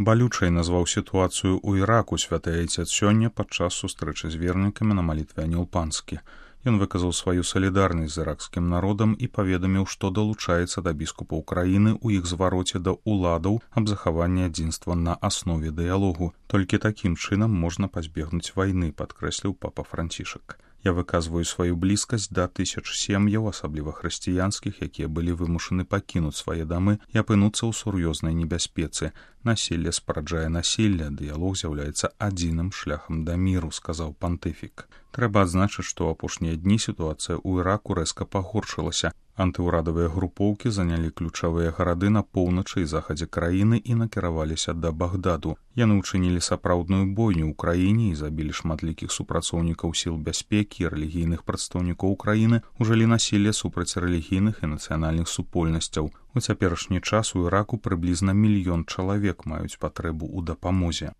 Балючай назваў сітуацыю ў Іраку святы айцец сёння падчас сустрэчы з вернікамі на малітве анілпанскі. Ён выказаў сваю салідарнасць з іракскім народам і паведаміў, што далучаецца да біскупаў краіны ў іх звароце да ўладаў аб захаванні адзінства на аснове дыялогу. Толькі такім чынам можна пазбегнуць вайны, падкрэсліў папа Францішак. Я выказваю сваю блізкасць да тысяч сем'яў, асабліва хрысціянскіх, якія былі вымушаны пакінуць свае дамы і апынуцца ў сур'ёзнай небяспецы. Насілле спараджае насілле, дыялог з'яўляецца адзіным шляхам да міру, сказаў пантыфік. Трэба адзначыць, што ў апошнія дні сітуацыя ў Іраку рэзка пагоршылася. Антыўрадавыя групоўкі занялі ключавыя гарады на поўначы і захадзе краіны і накіраваліся да Багдаду. Яны ўчынілі сапраўдную бойню ў краіне і забілі шматлікіх супрацоўнікаў сіл бяспекі і рэлігійных прадстаўнікоў краіны, ужылі насілле супраць рэлігійных і нацыянальных супольнасцяў. У цяперашні час у Іраку прыблізна 1 мільён чалавек маюць патрэбу ў дапамозе.